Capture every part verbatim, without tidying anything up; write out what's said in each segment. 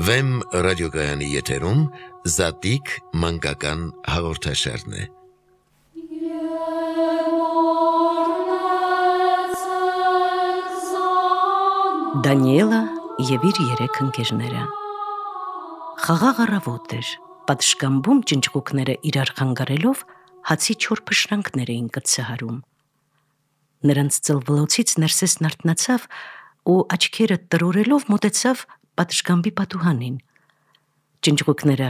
Վեմ ռադիոգայանի եթերում Զատիկ մանկական հաղորդաշարն է։ Դանիելը և իր երեք ընկերները։ Խաղաղ առավոտ էր, պատշգամբում ճնճղուկները իրար խանգարելով հացի չոր փշրանքներ էին կծահարում։ Նրանց ծլվլոցից Ներսեսն արթնացավ ու աչքերը տրորելով մոտեցավ պատշգամբի պատուհանին։ Ճնճղուկները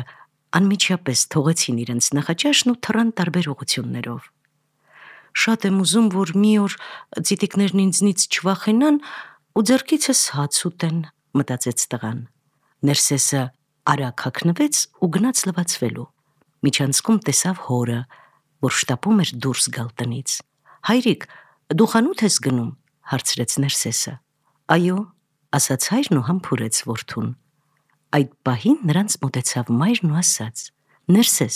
անմիջապես թողեցին իրենց նախաճաշն ու թռան տարբեր ուղղություններով։ Շատ եմ ուզում, որ մի օր ծիտիկներն ինձնից չվախենան ու ձեռքիցս հաց ուտեն, մտածեց տղան։ Ներսեսը արագ հագնվեց ու գնաց լվացվելու։ Միջանցքում տեսավ հորը, որ շտապում էր դուրս գալ տնից։ Հայրիկ, դու խանութ ես գնում, հարցրեց Ներսեսը։ Այո, ասաց հայրն ու համբուրեց որդուն։ Այդ պահին նրանց մոտեցավ մայրն ու ասաց. Ներսես,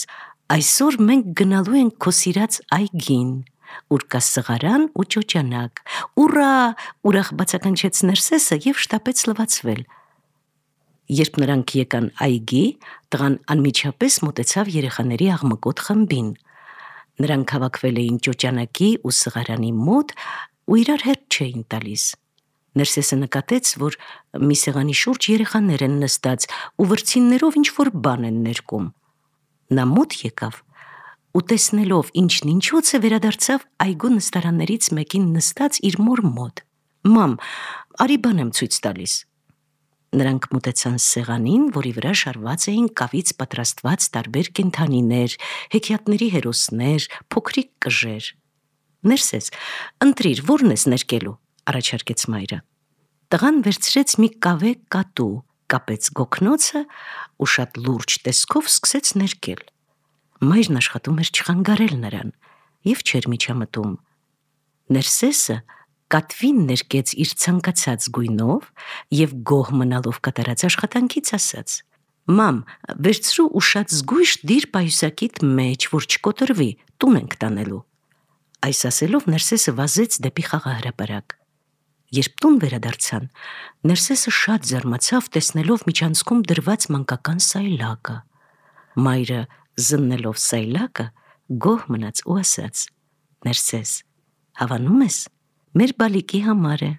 այսօր մենք գնալու ենք քո սիրած այգին, ուր կա սղարան ու ճոճանակ։ Ուռա, ուրախ բացականչեց Ներսեսը և շտապեց լվացվել։ Երբ նրանք եկան այգի, տղան անմիջապես մոտեցավ երեխաների աղմկոտ խմբին։ Նրանք հավաքվել էին ճոճանակի ու սղարանի մոտ ու իրար հետ չէին տալիս։ Ներսեսը նկատեց, որ մի սեղանի շուրջ երեխաներ են նստած ու վրձիններով ինչ-որ բան են ներկում։ Նա մոտ եկավ ու տեսնելով ինչն ինչոց է, վերադարձավ այգու նստարաններից մեկին նստած իր մոր մոտ։ Մամ, արի բան եմ ցույց տալիս։ Նրանք մոտեցան սեղանին, որի վրա շարված էին կավից պատրաստված տարբեր կենդանիներ, հեքիաթների հերոսներ, փոքրիկ կժեր։ Ներսես, ընտրիր, որն ես ներկելու, առաջարկեց մայրը։ Տղան վերցրեց մի կավե կատու, կապեց գոգնոցը ու շատ լուրջ տեսքով սկսեց ներկել։ Մայրն աշխատում էր չխանգարել նրան և չէր միջամտում։ Ներսեսը կատվին ներկեց իր ցանկացած գույնով և գոհ մնալով կատարած աշխատանքից ասաց. Մամ, վերցրու ու շատ զգույշ դիր պայուսակիդ մեջ, որ չկոտրվի, տուն ենք տանելու։ Այս ասելով Ներսեսը վազեց դեպի խաղահրապարակ։ Երբ տուն վերադարձան, Ներսեսը շատ զարմացավ, տեսնելով միջանցքում դրված մանկական սայլակը։ Մայրը զննելով սայլակը, գոհ մնաց ու ասաց. Ներսես, հավանում ես, մեր բալիկի համար է։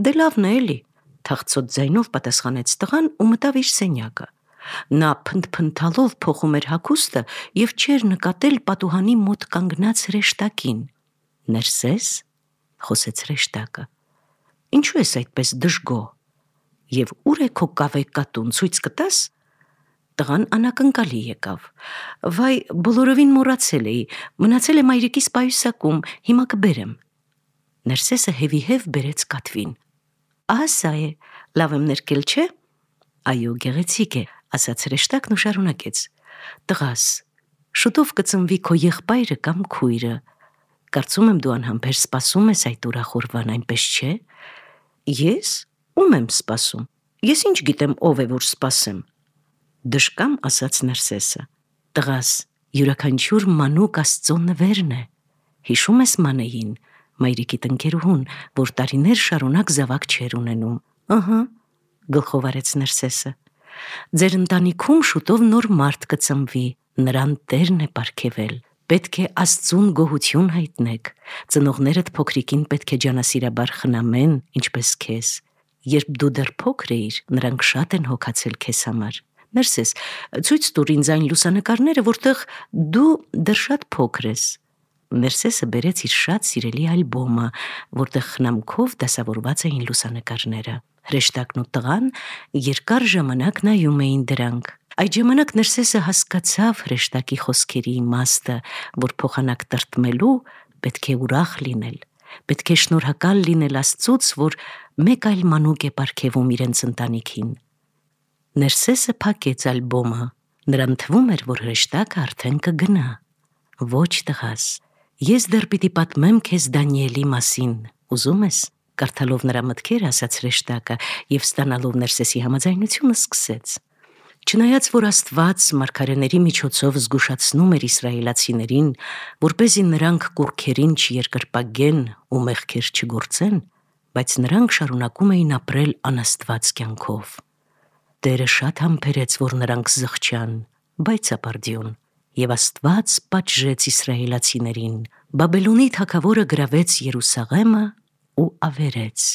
Դե լավն է էլի, թախծոտ ձայնով պատասխանեց տղան ու մտավ իր սենյակը։ Նա փնթփնթալով փոխում էր հագուստը և չէր նկատել պատուհանի մոտ կանգնած հրեշտակին։ Ներսես, խոսեց հրեշտակը, ինչու ես այդպես դժգոհ, և ուր է քո կավե կատուն, ցույց կտաս։ Տղան անակնկալի եկավ։ Վայ, բոլորովին մոռացել էի, մնացել է մայրիկիս պայուսակում, հիմա կբերեմ։ Ներսեսը հևիհև բերեց կատվին։ Ահա սա է, լավ եմ ներկել, չէ։ Այո, գեղեցիկ է, ասաց հրեշտակն ու շարունակեց. Տղաս, շուտով կծնվի քո եղբայրը կամ քույրը։ Կարծում եմ դու անհամբեր սպասում ես այդ ուրախորվան, այնպես չէ։ Ես ում եմ սպասում։ Ես ինչ գիտեմ ով է, որ սպասեմ։ Դժկամ ասաց Ներսեսը. Տղաս, յուրաքանչյուր մանուկ Աստծո նվերն է։ Հիշում ես Մանեին, մայրիկիդ ընկերուհուն, որ տարիներ շարունակ զավակ չէր ունենում։ Ըհը, գլխով արեց Ներսեսը։ Ձեր ընտանիքում շուտով նոր մարդ կծնվի, նրան Տերն է պարգևել։ Պետք է Աստծուն գոհություն հայտնեք։ Ծնողներդ փոքրիկին պետք է ջանասիրաբար խնամեն, ինչպես քեզ։ Երբ դու դեռ փոքր էիր, նրանք շատ են հոգացել քեզ համար։ Ներսես, ցույց տուր ինձ այն լուսանկարները, որտեղ դու դեռ շատ փոքր ես։ Ներսեսը բերեց իր շատ սիրելի ալբոմը, որտեղ խնամքով դասավորված էին լուսանկարները։ Հրեշտակն ու տղան երկար ժամանակ նայում էին դրանք։ Այդ ժամանակ Ներսեսը հասկացավ հրեշտակի խոսքերի իմաստը, որ փոխանակ տրտմելու պետք է ուրախ լինել, պետք է շնորհակալ լինել Աստծուց, որ մեկ այլ մանուկ է պարգևում իրենց ընտանիքին։ Ներսեսը փակեց ալբոմը, նրան թվում էր, որ հրեշտակը արդեն կգնա։ Ոչ տղաս, ես դեռ պիտի պատմեմ քեզ Դանիելի մասին, ուզում ես։ Կարդալով նրա մտքերը, ասաց հրեշտակը և ստանալով Ներսեսի համաձայնությունը սկսեց։ Չնայած որ Աստված մարգարեների միջոցով զգուշացնում էր իսրայելացիներին, որպեսզի նրանք կուռքերին չերկրպագեն ու մեղքեր չգործեն, բայց նրանք շարունակում էին ապրել անաստված կյանքով։ Տերը շատ համբերեց, որ նրանք զղջան, բայց ապարդյուն, եւ Աստված պատժեց իսրայելացիներին։ Բաբելոնի թագավորը գրավեց Երուսաղեմը ու ավերեց,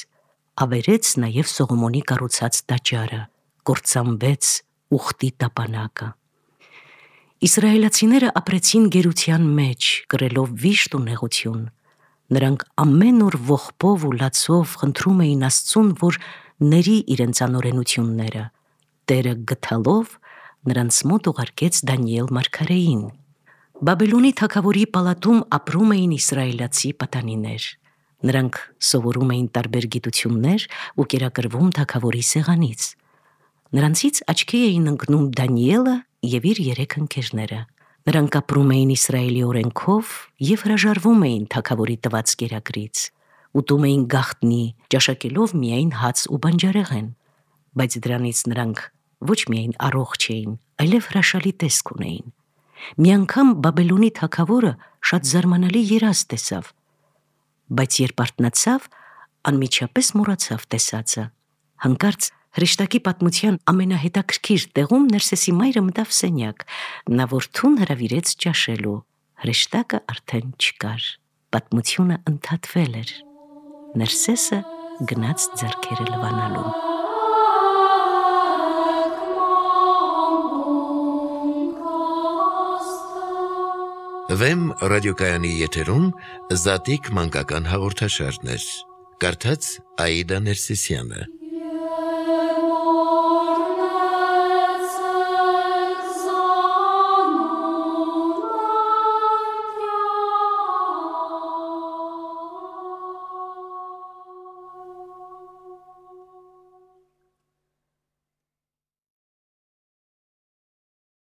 ավերեց նաև Սողոմոնի կառուցած տաճարը, կործանվեց ուխտի տապանակը։ Իսրայելացիները ապրեցին գերության մեջ, կրելով վիշտ ու նեղություն։ Նրանք ամեն օր ողբով ու լացով խնդրում էին Աստծուն, որ ների իրենց անօրենությունները։ Տերը գթալով նրանց մոտ ուղարկեց Դանիել մարգարեին։ Բաբելոնի թագավորի պալատում ապրում էին իսրայելացի պատանիներ։ Նրանք սովորում էին տարբեր գիտություններ ու կերակրվում թագավորի սեղանից։ Նրանցից աչքի էին ընկնում Դանիելը եւ իր երեք ընկերները։ Նրանք ապրում էին Իսրայելի օրենքով եւ հրաժարվում էին թագավորի տված կերակրից։ Ուտում էին գաղտնի, ճաշակելով միայն հաց ու բանջարեղեն, բայց դրանից նրանք ոչ միայն առողջ էին, այլև հրաշալի տեսք ունեին։ Մի անգամ Բաբելոնի թագավորը շատ զարմանալի երազ տեսավ, բայց երբ արթնացավ, անմիջապես մոռացավ տեսածը։ Հանկարծ հրեշտակի պատմության ամենահետաքրքիր տեղում Ներսեսի մայրը մտավ սենյակ, նա որդուն հրավիրեց ճաշելու։ Հրեշտակը արդեն չկար, պատմությունը ընդհատվել էր։ Ներսեսը գնաց ձեռքերը լվանալու։ Վեմ ռադիոկայանի եթերում Զատիկ մանկական հաղորդաշարներ։ Կարդաց Աիդա Ներսիսյանը։